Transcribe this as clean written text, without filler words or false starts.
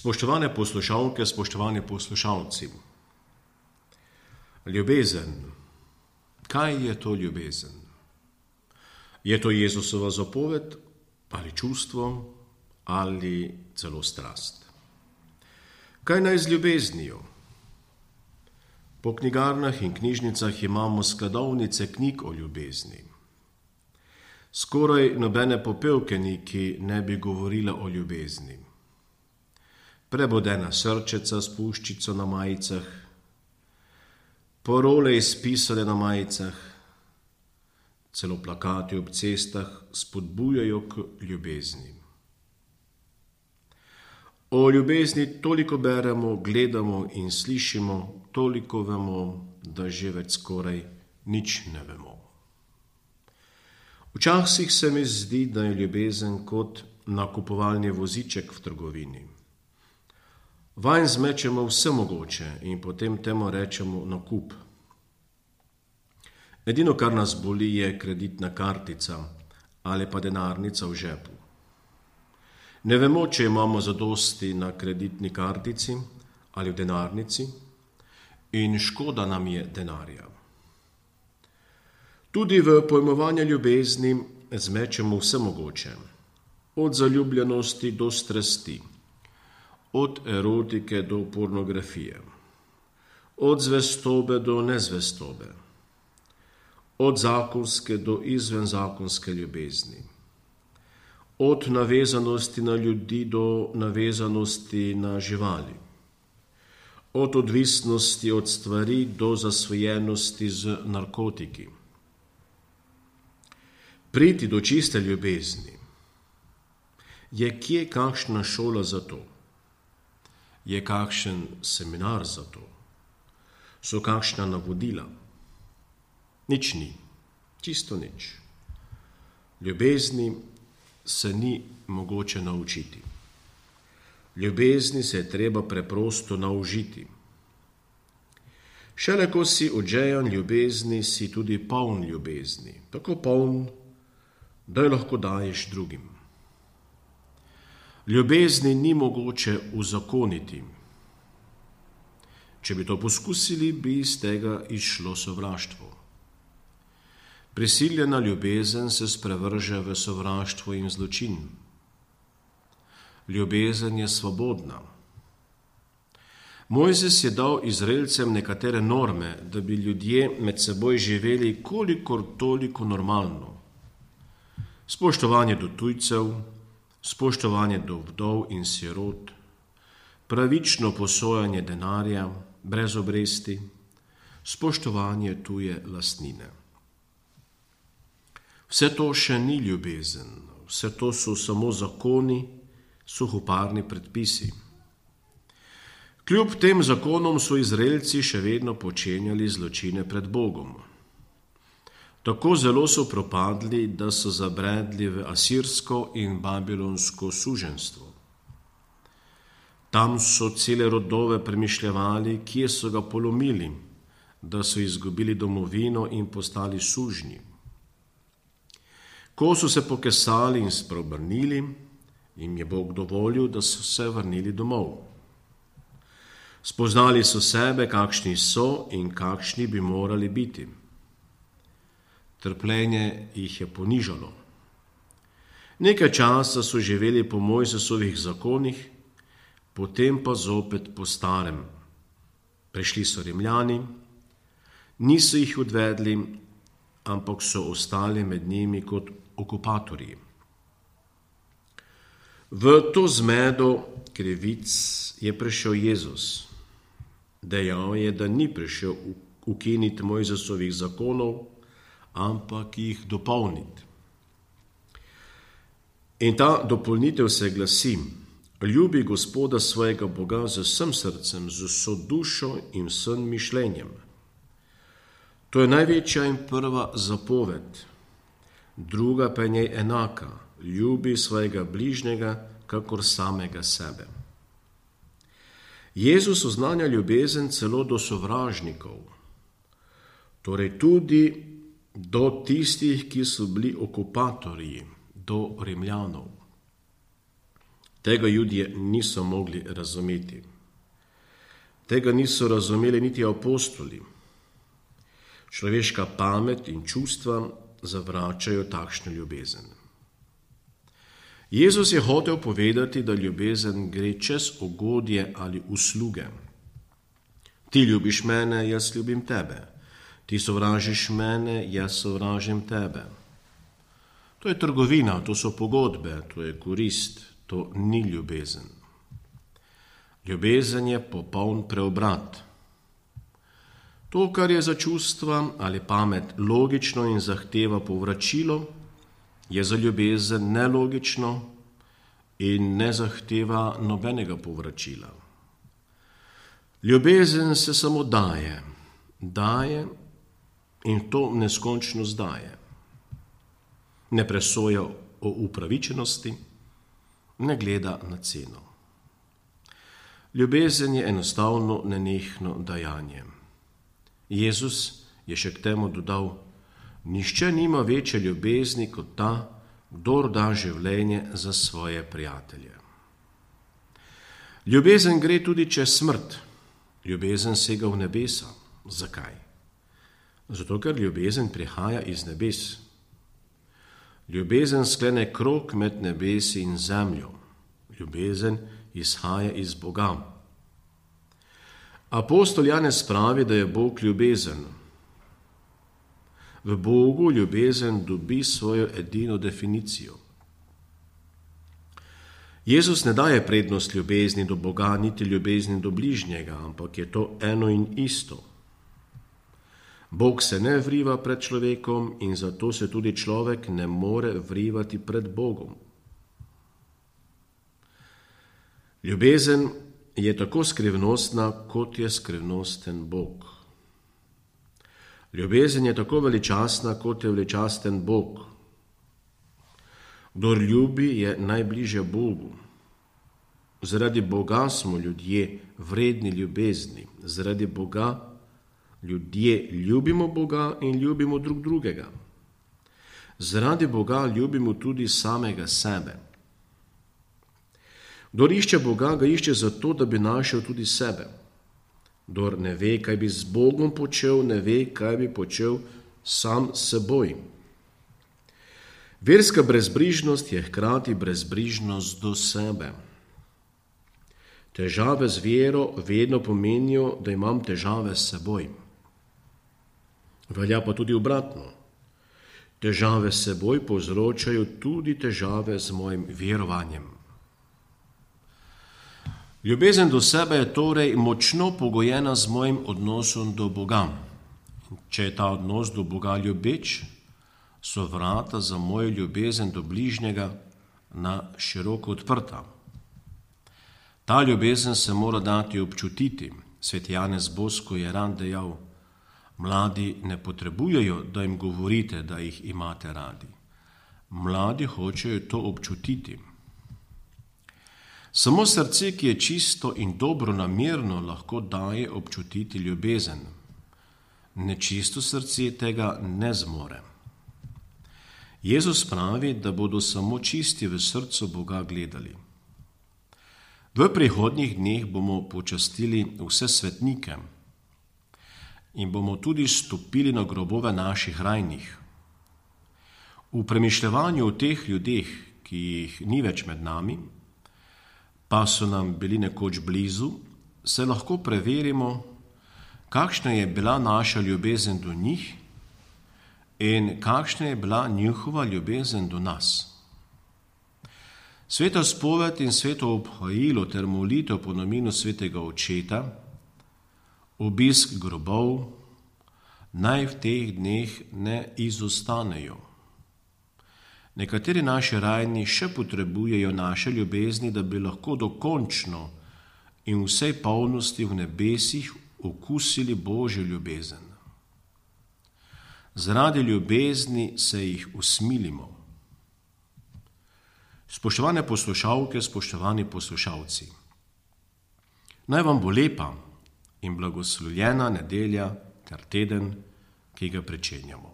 Spoštovane poslušalke, spoštovani poslušalci. Ljubezen. Kaj je to ljubezen? Je to Jezusova zapoved ali čustvo ali celo strast? Kaj naj z ljubeznijo? Po knjigarnah in knjižnicah imamo skladovnice knjig o ljubezni. Skoraj nobene popevke ni, ki ne bi govorila o ljubezni. Prebodena srčeca s puščico na majicah, parole izpisane na majicah, celo plakati ob cestah spodbujajo k ljubezni. O ljubezni toliko beremo, gledamo in slišimo, toliko vemo, da že več skoraj nič ne vemo. Včasih se mi zdi, da je ljubezen kot nakupovalni voziček v trgovini. Vanj zmečemo vse mogoče in potem temu rečemo nakup. Edino, kar nas boli, je kreditna kartica ali pa denarnica v žepu. Ne vemo, če imamo zadosti na kreditni kartici ali v denarnici in škoda nam je denarja. Tudi v pojmovanju ljubezni zmečemo vse mogoče, od zaljubljenosti do strasti, od erotike do pornografije, od zvestobe do nezvestobe, od zakonske do izvenzakonske ljubezni, od navezanosti na ljudi do navezanosti na živali, od odvisnosti od stvari do zasvojenosti z narkotiki. Priti do čiste ljubezni. Je kje kakšna šola za to? Je kakšen seminar za to? So kakšna navodila? Nič ni, čisto nič. Ljubezni se ni mogoče naučiti. Ljubezni se je treba preprosto naužiti. Šele ko si odžejan ljubezni, si tudi poln ljubezni. Tako poln, da jo lahko daješ drugim. Ljubezni ni mogoče uzakoniti. Če bi to poskusili, bi iz tega izšlo sovraštvo. Prisiljena ljubezen se sprevrže v sovraštvo in zločin. Ljubezen je svobodna. Mojzes je dal Izraelcem nekatere norme, da bi ljudje med seboj živeli kolikor toliko normalno. Spoštovanje do tujcev, spoštovanje do vdov in sirot, pravično posojanje denarja, brez obresti, spoštovanje tuje lastnine. Vse to še ni ljubezen, vse to so samo zakoni, suhoparni predpisi. Kljub tem zakonom so Izraelci še vedno počenjali zločine pred Bogom. Tako zelo so propadli, da so zabredli v asirsko in babilonsko suženjstvo. Tam so cele rodove premišljevali, kje so ga polomili, da so izgubili domovino in postali sužnji. Ko so se pokesali in spreobrnili, jim je Bog dovolil, da so se vrnili domov. Spoznali so sebe, kakšni so in kakšni bi morali biti. Trpljenje jih je ponižalo. Nekaj časa so živeli po Mojzesovih zakonih, potem pa zopet po starem. Prišli so Rimljani, niso jih odvedli, ampak so ostali med njimi kot okupatorji. V to zmedo krivic je prišel Jezus. Dejal je, da ni prišel ukiniti Mojzesovih zakonov, ampak jih dopolniti. In ta dopolnitev se glasi: ljubi Gospoda svojega Boga z vsem srcem, z vso dušo in vsem mišljenjem. To je največja in prva zapoved, druga pa je njej enaka: ljubi svojega bližnjega kakor samega sebe. Jezus oznanja ljubezen celo do sovražnikov, torej tudi do tistih, ki so bili okupatorji, do Rimljanov. Tega Judje niso mogli razumeti. Tega niso razumeli niti apostoli. Človeška pamet in čustva zavračajo takšno ljubezen. Jezus je hotel povedati, da ljubezen gre čez ugodje ali usluge. Ti ljubiš mene, jaz ljubim tebe. Ti sovražiš mene, jaz sovražim tebe. To je trgovina, to so pogodbe, to je korist, to ni ljubezen. Ljubezen je popoln preobrat. To, kar je za čustva ali pamet logično in zahteva povračilo, je za ljubezen nelogično in ne zahteva nobenega povračila. Ljubezen se samo daje in to neskončnost daje. Ne presoja o upravičenosti, ne gleda na ceno. Ljubezen je enostavno nenehno dajanje. Jezus je še k temu dodal: nihče nima večje ljubezni kot ta, kdor da življenje za svoje prijatelje. Ljubezen gre tudi čez smrt. Ljubezen sega v nebesa. Zakaj? Zato, ker ljubezen prihaja iz nebes. Ljubezen sklene krog med nebesi in zemljo. Ljubezen izhaja iz Boga. Apostol Janez pravi, da je Bog ljubezen. V Bogu ljubezen dobi svojo edino definicijo. Jezus ne daje prednost ljubezni do Boga, niti ljubezni do bližnjega, ampak je to eno in isto. Bog se ne vriva pred človekom in zato se tudi človek ne more vrivati pred Bogom. Ljubezen je tako skrivnostna, kot je skrivnosten Bog. Ljubezen je tako veličastna, kot je veličasten Bog. Kdor ljubi, je najbližje Bogu. Zaradi Boga smo ljudje vredni ljubezni. Zaradi Boga ljudje ljubimo Boga in ljubimo drug drugega. Zaradi Boga ljubimo tudi samega sebe. Kdor išče Boga, ga išče zato, da bi našel tudi sebe. Kdor ne ve, kaj bi z Bogom počel, ne ve, kaj bi počel sam s seboj. Verska brezbrižnost je hkrati brezbrižnost do sebe. Težave z vero vedno pomenijo, da imam težave s seboj. Velja pa tudi obratno. Težave s seboj povzročajo tudi težave z mojim verovanjem. Ljubezen do sebe je torej močno pogojena z mojim odnosom do Boga. Če je ta odnos do Boga ljubeč, so vrata za mojo ljubezen do bližnjega na široko odprta. Ta ljubezen se mora dati občutiti. Sveti Janez Bosko je rad dejal: mladi ne potrebujejo, da jim govorite, da jih imate radi. Mladi hočejo to občutiti. Samo srce, ki je čisto in dobronamerno, lahko daje občutiti ljubezen. Nečisto srce tega ne zmore. Jezus pravi, da bodo samo čisti v srcu Boga gledali. V prihodnjih dneh bomo počastili vse svetnike in bomo tudi stopili na grobove naših rajnih. V premišljevanju o teh ljudeh, ki jih ni več med nami, pa so nam bili nekoč blizu, se lahko preverimo, kakšna je bila naša ljubezen do njih in kakšna je bila njihova ljubezen do nas. Sveta spoved in sveto obhajilo ter molitev po namenu svetega očeta, obisk grobov, naj v teh dneh ne izostanejo. Nekateri naši rajni še potrebujejo naše ljubezni, da bi lahko dokončno in vsej polnosti v nebesih okusili Božjo ljubezen. Zaradi ljubezni se jih usmilimo. Spoštovane poslušalke, spoštovani poslušalci, naj vam bo lepa in blagoslovljena nedelja ter teden, ki ga pričenjamo.